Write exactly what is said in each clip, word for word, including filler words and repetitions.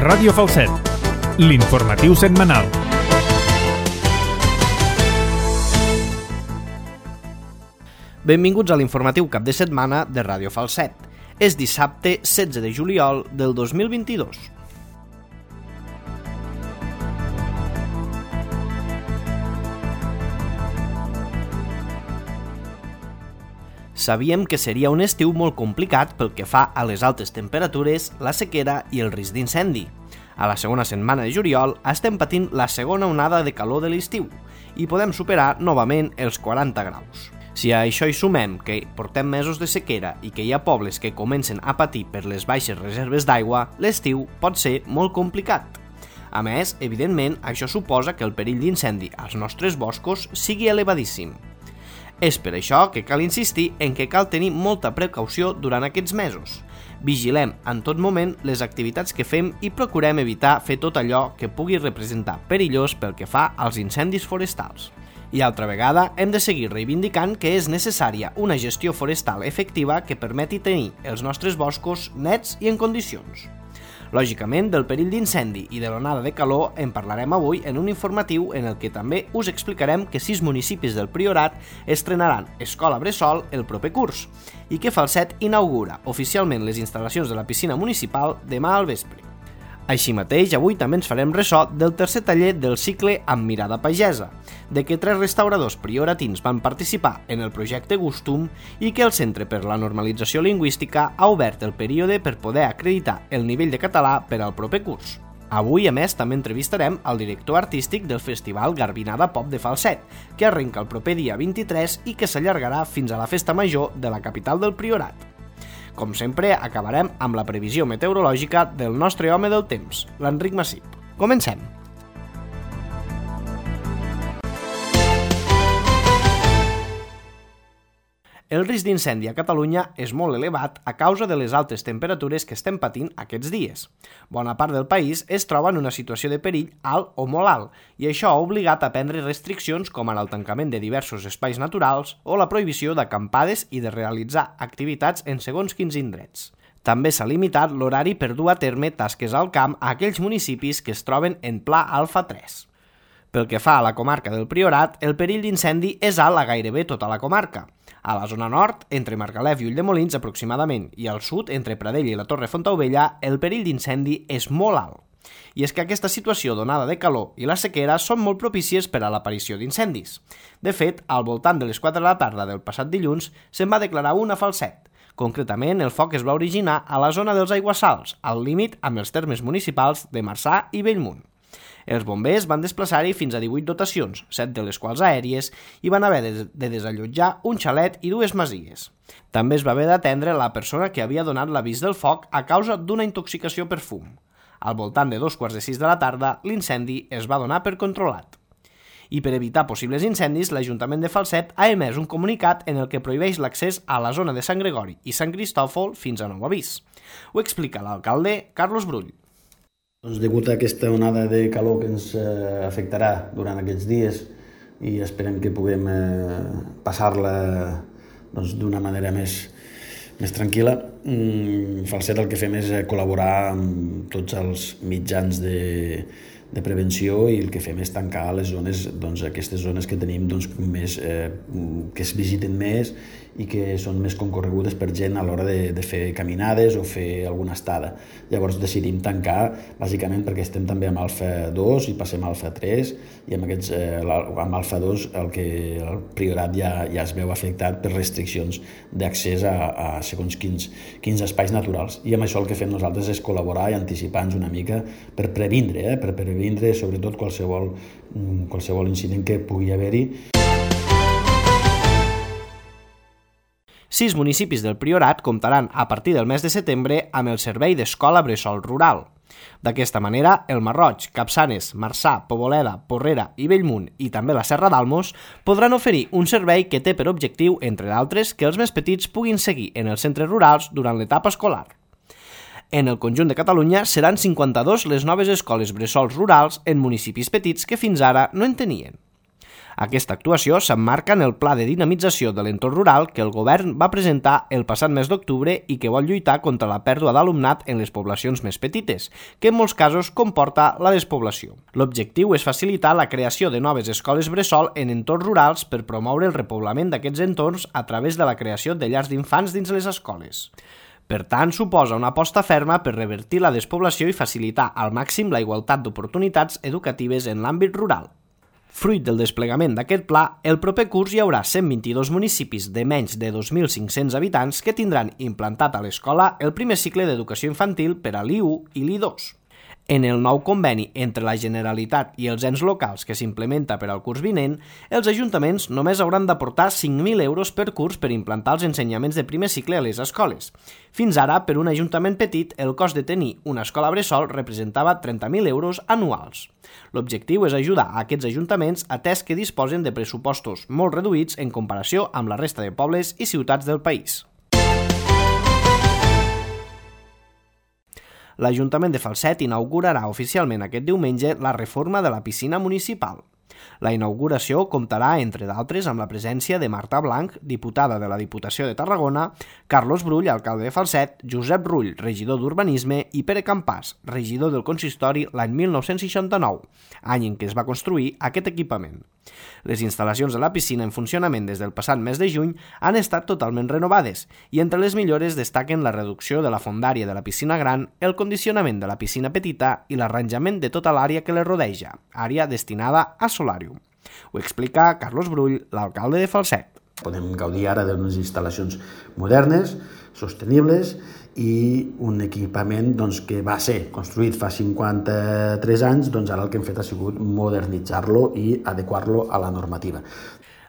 Ràdio Falset, l'informatiu setmanal. Benvinguts a l'informatiu cap de setmana de Ràdio Falset. És dissabte setze de juliol del dos mil vint-i-dos. Sabíem que seria un estiu molt complicat pel que fa a les altes temperatures, la sequera i el risc d'incendi. A la segona setmana de juliol estem patint la segona onada de calor de l'estiu i podem superar novament els quaranta graus. Si a això hi sumem que portem mesos de sequera i que hi ha pobles que comencen a patir per les baixes reserves d'aigua, l'estiu pot ser molt complicat. A més, evidentment, això suposa que el perill d'incendi als nostres boscos sigui elevadíssim. És per això que cal insistir en que cal tenir molta precaució durant aquests mesos. Vigilem en tot moment les activitats que fem i procurem evitar fer tot allò que pugui representar perillós pel que fa als incendis forestals. I altra vegada hem de seguir reivindicant que és necessària una gestió forestal efectiva que permeti tenir els nostres boscos nets i en condicions. Lògicament, del perill d'incendi i de l'onada de calor en parlarem avui en un informatiu en el que també us explicarem que sis municipis del Priorat estrenaran escola bressol el proper curs i que Falset inaugura oficialment les instal·lacions de la piscina municipal demà al vespre. Així mateix, avui també ens farem ressò del tercer taller del cicle Amb mirada pagesa, de què tres restauradors prioratins van participar en el projecte Gustum i que el Centre per la Normalització Lingüística ha obert el període per poder acreditar el nivell de català per al proper curs. Avui, a més, també entrevistarem el director artístic del Festival Garbinada Pop de Falset, que arrenca el proper dia vint-i-tres i que s'allargarà fins a la festa major de la capital del Priorat. Com sempre, acabarem amb la previsió meteorològica del nostre home del temps, l'Enric Massip. Comencem! El risc d'incendi a Catalunya és molt elevat a causa de les altes temperatures que estem patint aquests dies. Bona part del país es troba en una situació de perill alt o molt alt i això ha obligat a prendre restriccions com ara el tancament de diversos espais naturals o la prohibició d'acampades i de realitzar activitats en segons quins indrets. També s'ha limitat l'horari per dur a terme tasques al camp a aquells municipis que es troben en pla alfa tres. Pel que fa a la comarca del Priorat, el perill d'incendi és alt a gairebé tota la comarca. A la zona nord, entre Margalef i Ulldemolins aproximadament, i al sud, entre Pradell i la Torre Fontaubella, el perill d'incendi és molt alt. I és que aquesta situació d'onada de calor i la sequera són molt propícies per a l'aparició d'incendis. De fet, al voltant de les quatre de la tarda del passat dilluns, se'n va declarar un a Falset. Concretament, el foc es va originar a la zona dels Aiguassals, al límit amb els termes municipals de Marçà i Bellmunt. Els bombers van desplaçar-hi fins a divuit dotacions, set de les quals aèries, i van haver de desallotjar un xalet i dues masies. També es va haver d'atendre la persona que havia donat l'avís del foc a causa d'una intoxicació per fum. Al voltant de dos quarts de sis de la tarda, l'incendi es va donar per controlat. I per evitar possibles incendis, l'Ajuntament de Falset ha emès un comunicat en el que prohibeix l'accés a la zona de Sant Gregori i Sant Cristòfol fins a nou avís. Ho explica l'alcalde Carlos Brull. Doncs degut a aquesta onada de calor que ens eh, afectarà durant aquests dies i esperem que puguem eh, passar-la doncs, d'una manera més, més tranquil·la, mm, Falset el que fem és col·laborar amb tots els mitjans de, de prevenció i el que fem és tancar les zones, doncs, aquestes zones que tenim doncs, més, eh, que es visiten més i que són més concorregudes per gent a l'hora de, de fer caminades o fer alguna estada. Llavors decidim tancar, bàsicament perquè estem també amb alfa dos i passem a alfa tres i amb, aquests, eh, amb alfa dos el, que, el Priorat ja, ja es veu afectat per restriccions d'accés a, a segons quins, quins espais naturals. I amb això el que fem nosaltres és col·laborar i anticipar-nos una mica per previndre, eh, per previndre sobretot qualsevol, qualsevol incident que pugui haver-hi. Sis municipis del Priorat comptaran a partir del mes de setembre amb el servei d'escola bressol rural. D'aquesta manera, el Marroig, Capçanes, Marçà, Poboleda, Porrera i Bellmunt i també la Serra d'Almos podran oferir un servei que té per objectiu, entre d'altres, que els més petits puguin seguir en els centres rurals durant l'etapa escolar. En el conjunt de Catalunya seran cinquanta-dos les noves escoles bressols rurals en municipis petits que fins ara no en tenien. Aquesta actuació s'emmarca en el Pla de Dinamització de l'Entorn Rural que el govern va presentar el passat mes d'octubre i que vol lluitar contra la pèrdua d'alumnat en les poblacions més petites, que en molts casos comporta la despoblació. L'objectiu és facilitar la creació de noves escoles bressol en entorns rurals per promoure el repoblament d'aquests entorns a través de la creació de llars d'infants dins les escoles. Per tant, suposa una aposta ferma per revertir la despoblació i facilitar al màxim la igualtat d'oportunitats educatives en l'àmbit rural. Fruit del desplegament d'aquest pla, el proper curs hi haurà cent vint-i-dos municipis de menys de dos mil cinc-cents habitants que tindran implantat a l'escola el primer cicle d'educació infantil per a l'I u i l'I dos. En el nou conveni entre la Generalitat i els ens locals que s'implementa per al curs vinent, els ajuntaments només hauran d'aportar cinc mil euros per curs per implantar els ensenyaments de primer cicle a les escoles. Fins ara, per un ajuntament petit, el cost de tenir una escola bressol representava trenta mil euros anuals. L'objectiu és ajudar a aquests ajuntaments atès que disposen de pressupostos molt reduïts en comparació amb la resta de pobles i ciutats del país. L'Ajuntament de Falset inaugurarà oficialment aquest diumenge la reforma de la piscina municipal. La inauguració comptarà, entre d'altres, amb la presència de Marta Blanc, diputada de la Diputació de Tarragona, Carlos Brull, alcalde de Falset, Josep Rull, regidor d'Urbanisme, i Pere Campàs, regidor del Consistori l'any mil nou-cents seixanta-nou, any en què es va construir aquest equipament. Les instal·lacions de la piscina en funcionament des del passat mes de juny han estat totalment renovades i entre les millores destaquen la reducció de la fondària de la piscina gran, el condicionament de la piscina petita i l'arranjament de tota l'àrea que les rodeja, àrea destinada a solàrium. Ho explica Carlos Brull, l'alcalde de Falset. Podem gaudir ara d'unes instal·lacions modernes, sostenibles i un equipament doncs, que va ser construït fa cinquanta-tres anys, doncs ara el que hem fet ha sigut modernitzar-lo i adequar-lo a la normativa.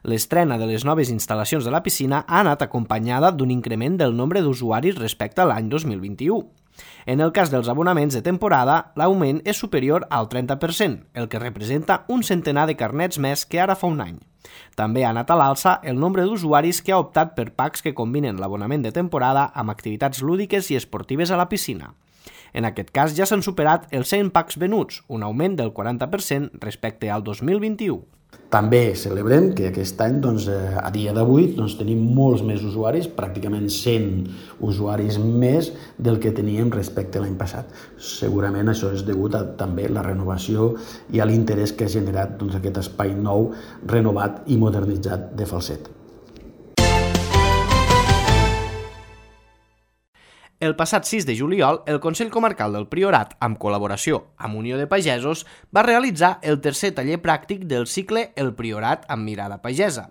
L'estrena de les noves instal·lacions de la piscina ha anat acompanyada d'un increment del nombre d'usuaris respecte a l'any dos mil vint-i-u. En el cas dels abonaments de temporada, l'augment és superior al trenta per cent, el que representa un centenar de carnets més que ara fa un any. També ha anat a l'alça el nombre d'usuaris que ha optat per packs que combinen l'abonament de temporada amb activitats lúdiques i esportives a la piscina. En aquest cas ja s'han superat els cent packs venuts, un augment del quaranta per cent respecte al dos mil vint-i-u. També celebrem que aquest any, doncs, a dia d'avui, doncs, tenim molts més usuaris, pràcticament cent usuaris més del que teníem respecte a l'any passat. Segurament això és degut a també la renovació i a l'interès que ha generat doncs, aquest espai nou, renovat i modernitzat de Falset. El passat sis de juliol, el Consell Comarcal del Priorat, amb col·laboració amb Unió de Pagesos, va realitzar el tercer taller pràctic del cicle El Priorat amb mirada pagesa.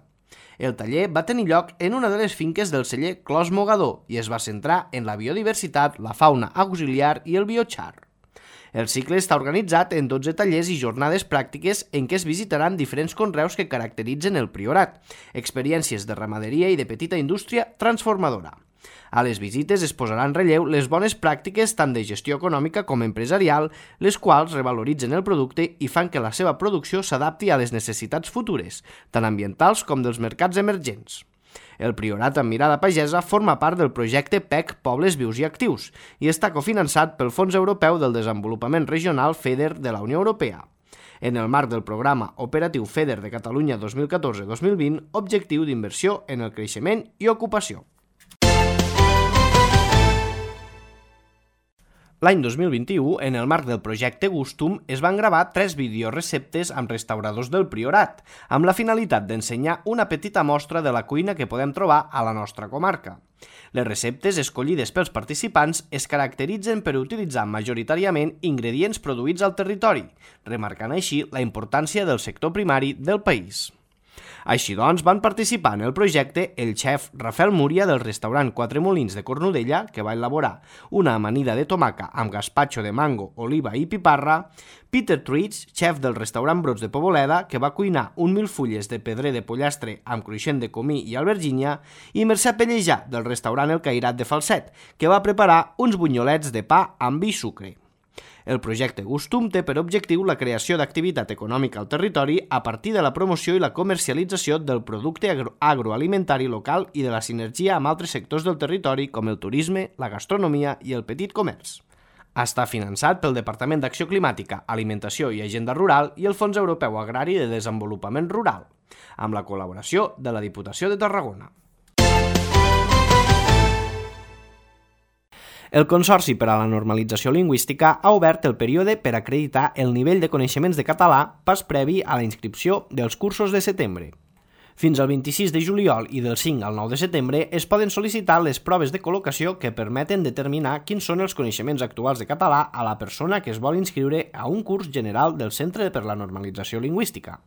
El taller va tenir lloc en una de les finques del celler Clos Mogador i es va centrar en la biodiversitat, la fauna auxiliar i el biochar. El cicle està organitzat en dotze tallers i jornades pràctiques en què es visitaran diferents conreus que caracteritzen el Priorat, experiències de ramaderia i de petita indústria transformadora. A les visites es posaran en relleu les bones pràctiques tant de gestió econòmica com empresarial, les quals revaloritzen el producte i fan que la seva producció s'adapti a les necessitats futures, tant ambientals com dels mercats emergents. El Priorat amb mirada pagesa forma part del projecte P E C Pobles Vius i Actius i està cofinançat pel Fons Europeu del Desenvolupament Regional FEDER de la Unió Europea. En el marc del programa operatiu FEDER de Catalunya dos mil catorze dos mil vint, objectiu d'inversió en el creixement i ocupació. L'any dos mil vint-i-u, en el marc del projecte Gustum, es van gravar tres videoreceptes amb restauradors del Priorat, amb la finalitat d'ensenyar una petita mostra de la cuina que podem trobar a la nostra comarca. Les receptes escollides pels participants es caracteritzen per utilitzar majoritàriament ingredients produïts al territori, remarcant així la importància del sector primari del país. Així doncs, van participar en el projecte el xef Rafael Múria del restaurant Quatre Molins de Cornudella, que va elaborar una amanida de tomaca amb gaspatxo de mango, oliva i piparra, Peter Truits, xef del restaurant Brots de Poboleda, que va cuinar un milfulles de pedrer de pollastre amb cruixent de comí i albergínia, i Mercè Pellejà, del restaurant El Cairat de Falset, que va preparar uns bunyolets de pa amb vi i sucre. El projecte Gustum té per objectiu la creació d'activitat econòmica al territori a partir de la promoció i la comercialització del producte agro agroalimentari local i de la sinergia amb altres sectors del territori com el turisme, la gastronomia i el petit comerç. Està finançat pel Departament d'Acció Climàtica, Alimentació i Agenda Rural i el Fons Europeu Agrari de Desenvolupament Rural. amb la col·laboració de la Diputació de Tarragona. El Consorci per a la Normalització Lingüística ha obert el període per acreditar el nivell de coneixements de català pas previ a la inscripció dels cursos de setembre. Fins al vint-i-sis de juliol i del cinc al nou de setembre es poden sol·licitar les proves de col·locació que permeten determinar quins són els coneixements actuals de català a la persona que es vol inscriure a un curs general del Centre per la Normalització Lingüística.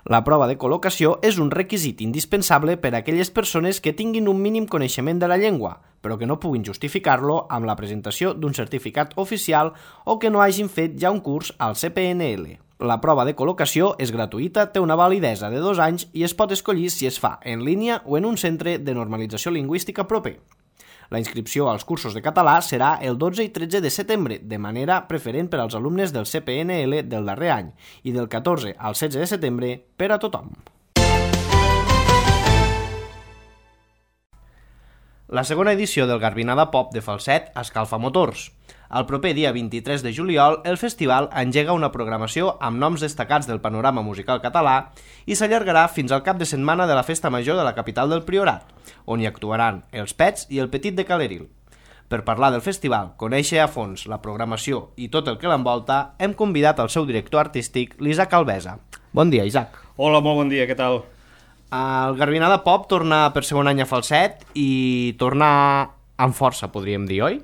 La prova de col·locació és un requisit indispensable per a aquelles persones que tinguin un mínim coneixement de la llengua, però que no puguin justificar-lo amb la presentació d'un certificat oficial o que no hagin fet ja un curs al C P N L. La prova de col·locació és gratuïta, té una validesa de dos anys i es pot escollir si es fa en línia o en un centre de normalització lingüística proper. La inscripció als cursos de català serà el dotze i tretze de setembre, de manera preferent per als alumnes del C P N L del darrer any, i del catorze al setze de setembre per a tothom. La segona edició del Garbinada Pop de Falset escalfa motors. El proper dia vint-i-tres de juliol, el festival engega una programació amb noms destacats del panorama musical català i s'allargarà fins al cap de setmana de la Festa Major de la capital del Priorat, on hi actuaran els Pets i el Petit de Caleril. Per parlar del festival, conèixer a fons la programació i tot el que l'envolta, hem convidat el seu director artístic, l'Isaac Albesa. Bon dia, Isaac. Hola, molt bon dia, què tal? El Garbinada Pop torna per segon any a Falset i torna amb força, podríem dir, oi?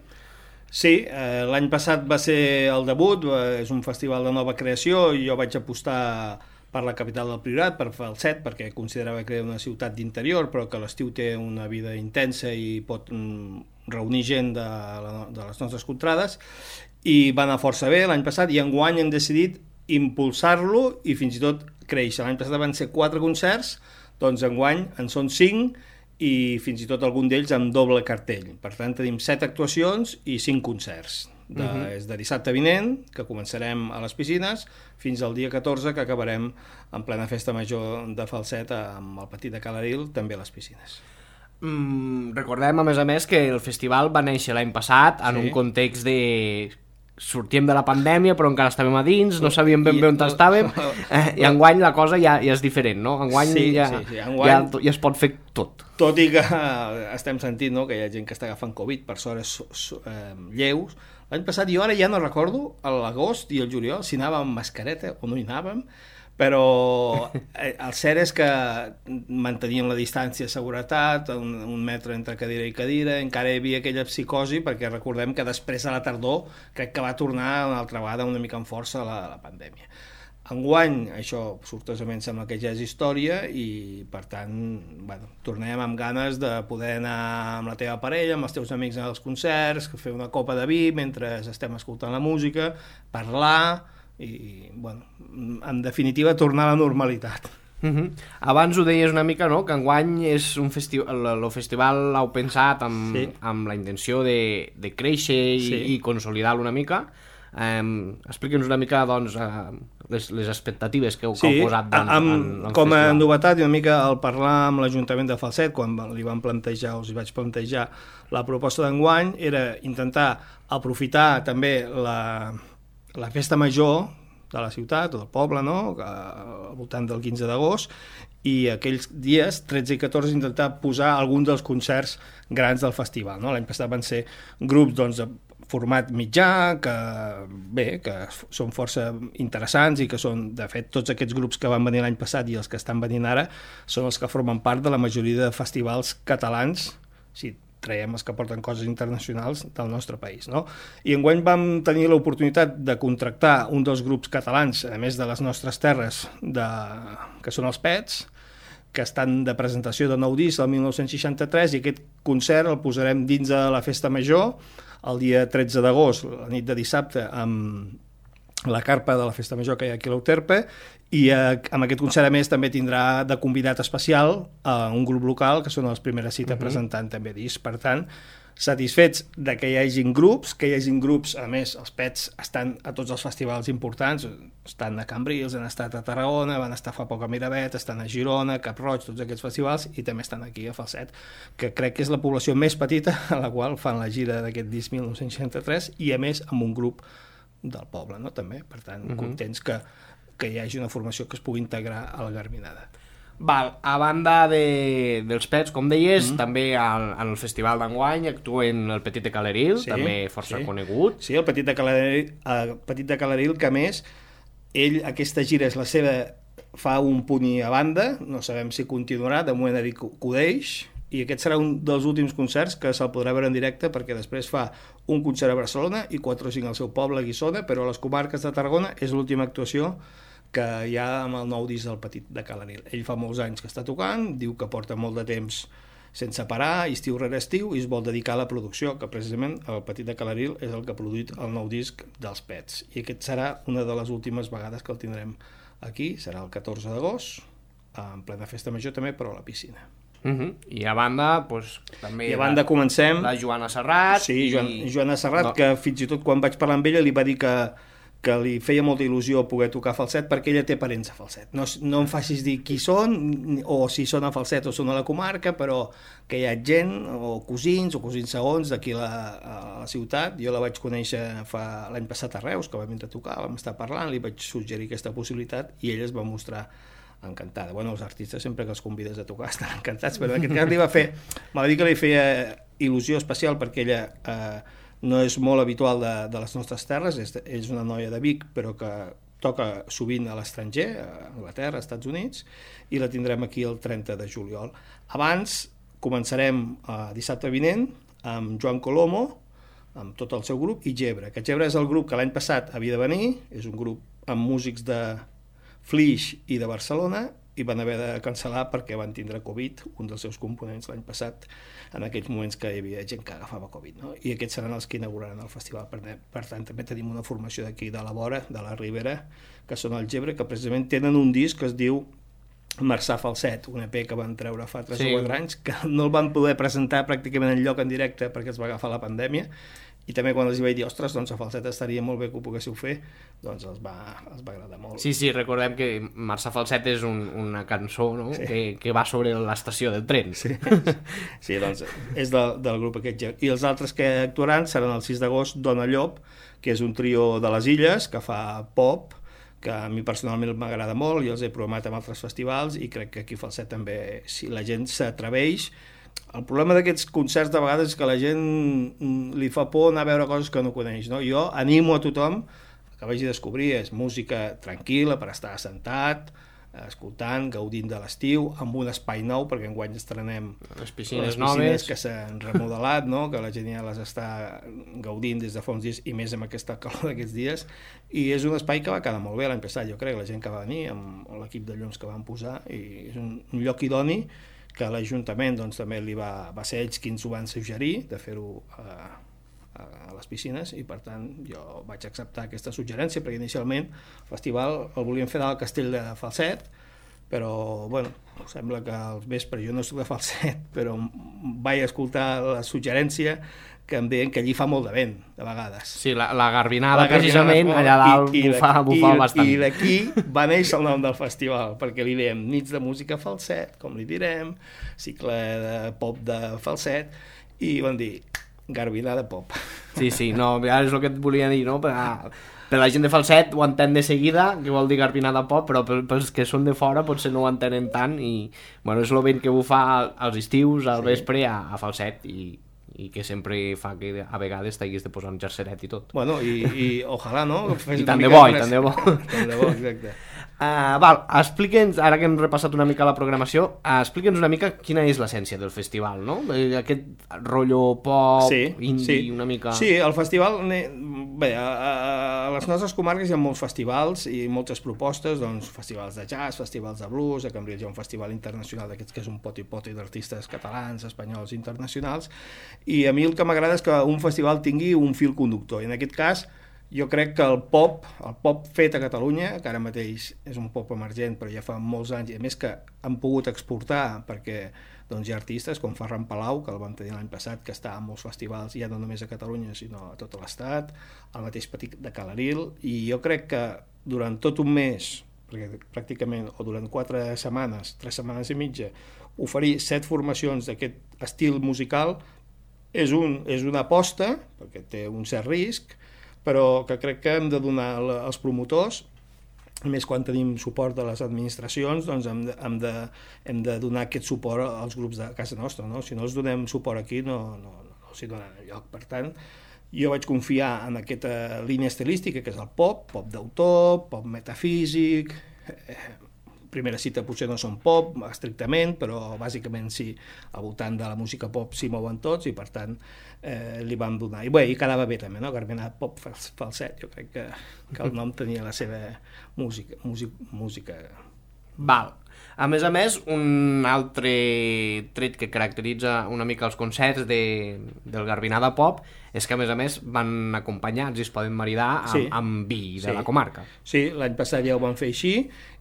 Sí, eh, l'any passat va ser el debut, eh, és un festival de nova creació i jo vaig apostar per la capital del Priorat, per Falset, perquè considerava que era una ciutat d'interior, però que l'estiu té una vida intensa i pot mm, reunir gent de, la, de les nostres contrades, i va anar força bé l'any passat, i enguany hem decidit impulsar-lo i fins i tot créixer. L'any passat van ser quatre concerts, doncs enguany en són cinc, i fins i tot algun d'ells amb doble cartell. Per tant, tenim set actuacions i cinc concerts. De, uh-huh. És de dissabte vinent, que començarem a les piscines, fins al dia catorze, que acabarem en plena festa major de Falset amb el Petit de Caleril, també a les piscines. Mm, recordem, a més a més, que el festival va néixer l'any passat en sí. un context de... sortíem de la pandèmia però encara estàvem a dins, no sabíem ben bé on estàvem, eh, i enguany la cosa ja, ja és diferent, no? Enguany, sí, ja, sí, sí. Enguany ja, ja es pot fer tot. Tot i que estem sentint, no, que hi ha gent que està agafant Covid, per sort és eh, lleus. L'any passat jo ara ja no recordo, a l'agost i el juliol, si anàvem amb mascareta o no hi anàvem, però el cert és que manteníem la distància de seguretat, un, un metre entre cadira i cadira, encara hi havia aquella psicosi, perquè recordem que després a la tardor crec que va tornar una altra vegada una mica amb força la, la pandèmia. Enguany, això sortosament sembla que ja és història i per tant, bueno, tornem amb ganes de poder anar amb la teva parella, amb els teus amics als concerts, fer una copa de vi mentre estem escoltant la música, parlar i, bueno, en definitiva, tornar a la normalitat. Uh-huh. Abans ho deies una mica, no?, que enguany és un festival, el festival l'heu pensat amb, sí. amb la intenció de, de créixer i, sí. i consolidar-lo una mica. Um, Explica'ns una mica, doncs, uh, les, les expectatives que heu, sí. que heu posat en, amb, en, en com a festival. novetat, una mica al parlar amb l'Ajuntament de Falset, quan li van plantejar, us hi vaig plantejar la proposta d'enguany, era intentar aprofitar també la la festa major de la ciutat o del poble, no?, al voltant del quinze d'agost, i aquells dies, tretze i catorze, intentar posar algun dels concerts grans del festival, no? L'any passat van ser grups, doncs, de format mitjà, que bé, que són força interessants i que són, de fet, tots aquests grups que van venir l'any passat i els que estan venint ara són els que formen part de la majoria de festivals catalans, sí, traiem els que porten coses internacionals del nostre país, no? I enguany vam tenir l'oportunitat de contractar un dels grups catalans, a més de les nostres terres, de... que són els Pets, que estan de presentació de nou disc el dinou seixanta-tres, i aquest concert el posarem dins de la Festa Major el dia tretze d'agost, la nit de dissabte, amb la carpa de la Festa Major que hi ha aquí a l'Euterpe, i eh, amb aquest concert a més també tindrà de convidat especial a un grup local que són els Primera Cita uh-huh. presentant també disc. Per tant, satisfets de que hi hagin grups, que hi hagin grups, a més els Pets estan a tots els festivals importants, estan a Cambrils, han estat a Tarragona, van estar fa poc a Miravet, estan a Girona, Cap-roig, tots aquests festivals, i també estan aquí a Falset, que crec que és la població més petita a la qual fan la gira d'aquest disc dinou seixanta-tres, i a més amb un grup del poble, no?, també. Per tant, uh-huh. contents que que hi hagi una formació que es pugui integrar a la Garbinada. Val, a banda de, dels Pets, com deies, mm. també al, al festival d'enguany actuen el Petit de Caleril, sí, també força sí. conegut. Sí, el Petit de Caleril, el Petit de Caleril, que a més, ell, aquesta gira és la seva, fa un punt i a banda, no sabem si continuarà, de moment Eric Cudeix, i aquest serà un dels últims concerts que se'l podrà veure en directe, perquè després fa un concert a Barcelona i quatre o cinc al seu poble, a Guissona, però a les comarques de Tarragona és l'última actuació que hi ha amb el nou disc del Petit de Caleril. Ell fa molts anys que està tocant, diu que porta molt de temps sense parar, estiu rere estiu, i es vol dedicar a la producció, que precisament el Petit de Caleril és el que ha produït el nou disc dels Pets. I aquest serà una de les últimes vegades que el tindrem aquí, serà el catorze d'agost, en plena festa major també, però a la piscina. Uh-huh. I a banda, doncs, també... I a banda comencem... La Joana Serrat... Sí, Joan, i... Joana Serrat, no. que fins i tot quan vaig parlar amb ella li va dir que que li feia molta il·lusió poder tocar falset perquè ella té parents a falset. No, no em facis dir qui són, o si són a falset o són a la comarca, però que hi ha gent, o cosins, o cosins segons d'aquí a la, a la ciutat. Jo la vaig conèixer fa l'any passat a Reus, que vam vindre a tocar, vam estar parlant, li vaig suggerir aquesta possibilitat i ella es va mostrar encantada. Bueno, els artistes sempre que els convides a tocar estan encantats, però en aquest cas li va fer, me va dir que li feia il·lusió especial perquè ella... Eh, no és molt habitual de, de les nostres terres, és, és una noia de Vic, però que toca sovint a l'estranger, a Anglaterra, als Estats Units, i la tindrem aquí el trenta de juliol. Abans començarem eh, dissabte vinent amb Joan Colomo, amb tot el seu grup, i Gebre, que Gebre és el grup que l'any passat havia de venir, és un grup amb músics de Flix i de Barcelona, i van haver de cancel·lar perquè van tindre Covid, un dels seus components l'any passat, en aquells moments que hi havia gent que agafava Covid, no? I aquests seran els que inauguraran el festival. Per, per tant, també tenim una formació d'aquí de la vora, de la Ribera, que són el Gebre, que precisament tenen un disc que es diu Marçà Falset, un E P que van treure fa tres o quatre anys, que no el van poder presentar pràcticament enlloc en directe perquè es va agafar la pandèmia, i també quan els vaig dir, ostres, doncs a Falset estaria molt bé que ho poguéssiu fer, doncs els va, els va agradar molt. Sí, sí, recordem que Marçà Falset és un, una cançó, no? Sí. que, que va sobre l'estació del tren. Sí, sí, doncs és del, del grup aquest. I els altres que actuaran seran el sis d'agost Dona Llop, que és un trio de les Illes que fa pop, que a mi personalment m'agrada molt, i els he programat en altres festivals, i crec que aquí a Falset també, si la gent s'atreveix. El problema d'aquests concerts de vegades és que la gent li fa por anar a veure coses que no coneix, no? Jo animo a tothom que vagi a descobrir, és música tranquil·la per estar assentat, escoltant, gaudint de l'estiu, amb un espai nou, perquè enguany estrenem les piscines, les piscines noves que s'han remodelat, no? Que la gent ja les està gaudint des de fa uns dies, i més amb aquesta calor d'aquests dies, i és un espai que va quedar molt bé l'any passat, jo crec, la gent que va venir amb l'equip de llums que van posar, i és un, un lloc idoni que l'Ajuntament doncs, també li va, va ser ells qui ens ho van suggerir de fer-ho a, a, a les piscines, i per tant jo vaig acceptar aquesta suggerència perquè inicialment el festival el volíem fer al Castell de Falset, però bueno, sembla que al vespre, jo no soc de Falset, però vaig escoltar la suggerència que em deien que allí fa molt de vent, de vegades. Sí, la, la Garbinada, la precisament, allà dalt i, i bufava, bufava bastant. I d'aquí va néixer el nom del festival, perquè li diem nits de música Falset, com li direm, cicle de pop de Falset, i van dir Garbinada pop. Sí, sí, no, és el que et volia dir, no? Per, per la gent de Falset ho entén de seguida, que vol dir Garbinada pop, però pels que són de fora potser no ho entenen tant, i bueno, és el vent que bufa als estius, al vespre, a, a Falset, i i que sempre fa que a vegades t'haguis de posar un jerseret i tot. Bueno, i, i ojalà, no? I tant de bo, i tant de bo. Tant de bo, exacte. Uh, val, explica'ns, ara que hem repassat una mica la programació, uh, explica'ns una mica quina és l'essència del festival, no? Aquest rotllo pop, sí, indie, sí. una mica... Sí, el festival... Bé, a, a les nostres comarques hi ha molts festivals i moltes propostes, doncs festivals de jazz, festivals de blues, a Cambrils hi ha un festival internacional d'aquests que és un poti-poti d'artistes catalans, espanyols, internacionals, i a mi el que m'agrada és que un festival tingui un fil conductor, i en aquest cas jo crec que el pop, el pop fet a Catalunya, que ara mateix és un pop emergent, però ja fa molts anys, i a més que han pogut exportar, perquè doncs, hi ha artistes com Ferran Palau, que el vam tenir l'any passat, que està en molts festivals, ja no només a Catalunya, sinó a tot l'estat, el mateix Petit de Caleril, i jo crec que durant tot un mes, perquè pràcticament, o durant quatre setmanes, tres setmanes i mitja, oferir set formacions d'aquest estil musical és, un, és una aposta, perquè té un cert risc, però que crec que hem de donar als promotors A més, quan tenim suport de les administracions, doncs hem de, hem de, hem de donar aquest suport als grups de casa nostra, no? Si no els donem suport aquí, no, no, no, no s'hi dona lloc. Per tant, jo vaig confiar en aquesta línia estilística, que és el pop, pop d'autor, pop metafísic. Eh, primera cita potser no són pop, estrictament, però bàsicament sí, al voltant de la música pop s'hi mouen tots, i per tant eh, li vam donar. I bé, i quedava bé també, no? Garbinada Pop Falset, jo crec que, que el nom tenia la seva música. música, música. Val. A més a més, un altre tret que caracteritza una mica els concerts de, del Garbinada Pop és que, a més a més, van acompanyats i es poden maridar amb, sí. amb vi de sí. la comarca. Sí, l'any passat ja ho vam fer així,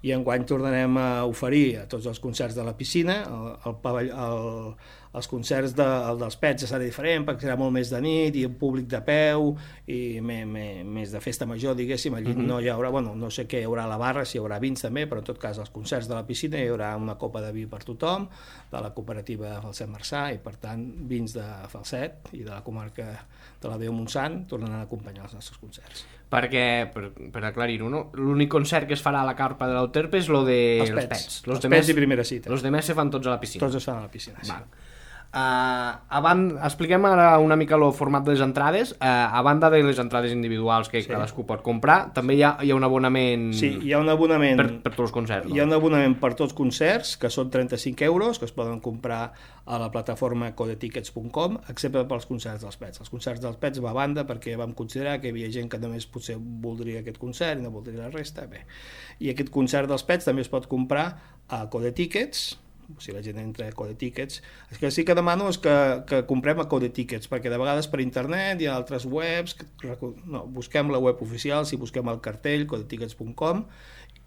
i enguany tornarem a oferir a tots els concerts de la piscina, el, el pavell, el, els concerts de, el dels Pets serà diferent, perquè serà molt més de nit, i un públic de peu, i me, me, més de festa major, diguéssim. Allí mm-hmm. no hi haurà, bueno, no sé què hi haurà a la barra, si hi haurà vins també, però en tot cas, als concerts de la piscina hi haurà una copa de vi per tothom, de la cooperativa Falset Marçà, i per tant, vins de Falset i de la comarca de la Déu Montsant tornaran a acompanyar els nostres concerts. Perquè, per, per aclarir-ho, no? L'únic concert que es farà a la carpa de l'Euterpe és lo de els els Pets. Pets. Els Pets i primera cita. Els demés se fan tots a la piscina. Tots es fan a la piscina, sí. Val. Uh, a banda, expliquem ara una mica el format de les entrades. Uh, a banda de les entrades individuals que sí. cadascú pot comprar, també hi ha, hi ha un abonament, sí, hi ha un abonament per, per tots els concerts. No? Hi ha un abonament per tots els concerts, que són trenta-cinc euros, que es poden comprar a la plataforma codetickets punt com, excepte pels concerts dels Pets. Els concerts dels Pets va a banda perquè vam considerar que hi havia gent que només potser voldria aquest concert i no voldria la resta. Bé. I aquest concert dels Pets també es pot comprar a Codetickets, si la gent entra a Codetickets. El que sí que demano és que, que comprem a Codetickets, perquè de vegades per internet hi ha altres webs, que, no, busquem la web oficial, si busquem el cartell, codetickets punt com,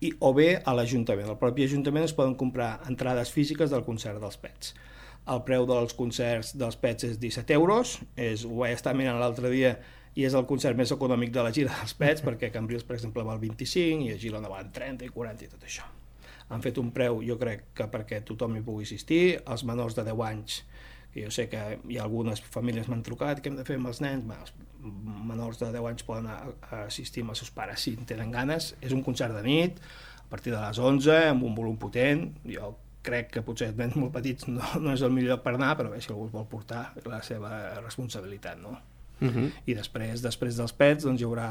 i, o bé a l'Ajuntament. Al propi Ajuntament es poden comprar entrades físiques del concert dels Pets. El preu dels concerts dels Pets és disset euros, és, ho vaig estar mirant l'altre dia, i és el concert més econòmic de la gira dels Pets, perquè a Cambrils, per exemple, val vint-i-cinc, i a Girona val trenta i quaranta i tot això. Han fet un preu, jo crec que perquè tothom hi pugui assistir. Els menors de deu anys, que jo sé que hi ha algunes famílies m'han trucat, què hem de fer amb els nens? Bé, els menors de deu anys poden assistir amb els seus pares si en tenen ganes. És un concert de nit, a partir de les onze, amb un volum potent. Jo crec que potser els nens molt petits no, no és el millor lloc per anar, però bé, si algú vol portar, la seva responsabilitat, no? Uh-huh. I després després dels Pets doncs hi haurà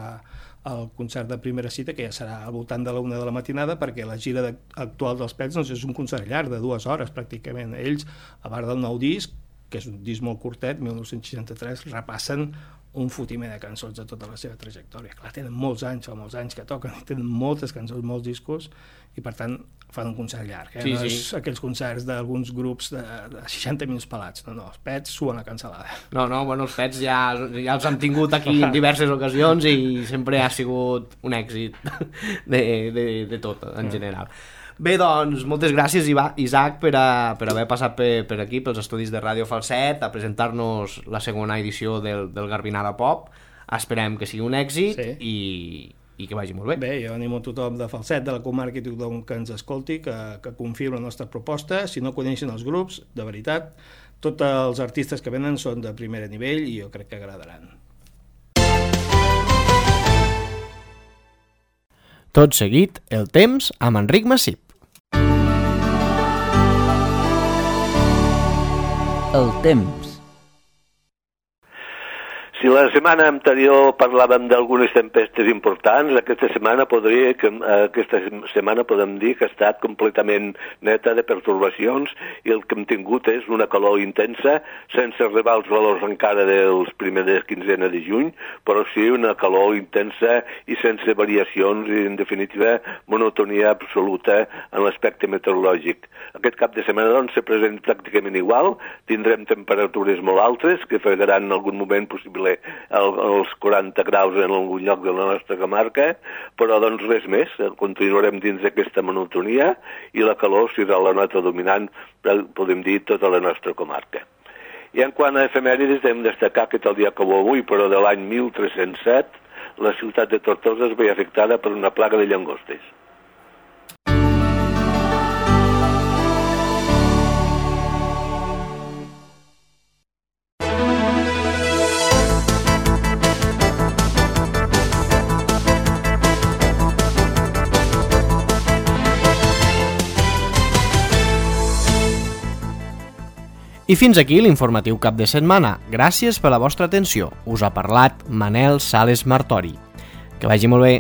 el concert de primera cita, que ja serà al voltant de la una de la matinada, perquè la gira de, actual dels Pets doncs és un concert llarg de dues hores pràcticament. Ells, a part del nou disc, que és un disc molt curtet, mil nou-cents seixanta-tres, repassen un fotiment de cançons de tota la seva trajectòria. Clar, tenen molts anys, fa molts anys que toquen, tenen moltes cançons, molts discos, i per tant fan un concert llarg, eh? Sí, no sí. és aquells concerts d'alguns grups de, de seixanta minuts pelats, no, no, els Pets suen la cansalada. No, no, bueno, els Pets ja, ja els han tingut aquí en diverses ocasions i sempre ha sigut un èxit de, de, de tot, en general. Bé, doncs, moltes gràcies, Isaac, per, a, per haver passat per, per aquí, pels estudis de Ràdio Falset, a presentar-nos la segona edició del, del Garbinada Pop. Esperem que sigui un èxit sí. i, i que vagi molt bé. Bé, jo animo a tothom de Falset, de la comarca, i tothom que ens escolti, que, que confiï en la nostra proposta. Si no coneixen els grups, de veritat, tots els artistes que venen són de primer nivell i jo crec que agradaran. Tot seguit, el temps amb Enric Massip. El temps. Si la setmana anterior parlàvem d'algunes tempestes importants, aquesta setmana podria que aquesta setmana podem dir que ha estat completament neta de pertorbacions i el que hem tingut és una calor intensa, sense arribar als valors encara dels primers quinzena de juny, però sí una calor intensa i sense variacions i, en definitiva, monotonia absoluta en l'aspecte meteorològic. Aquest cap de setmana, doncs, se presenta pràcticament igual, tindrem temperatures molt altes que fregaran en algun moment possible els quaranta graus en algun lloc de la nostra comarca, però doncs res més, continuarem dins d'aquesta monotonia i la calor serà la nota dominant, podem dir, tota la nostra comarca. I en quant a efemèrides, hem destacar que tal dia com avui, però de l'any mil tres-cents set, la ciutat de Tortosa es veia afectada per una plaga de llangostes. I fins aquí l'informatiu cap de setmana. Gràcies per la vostra atenció. Us ha parlat Manel Sales Martori. Que vagi molt bé.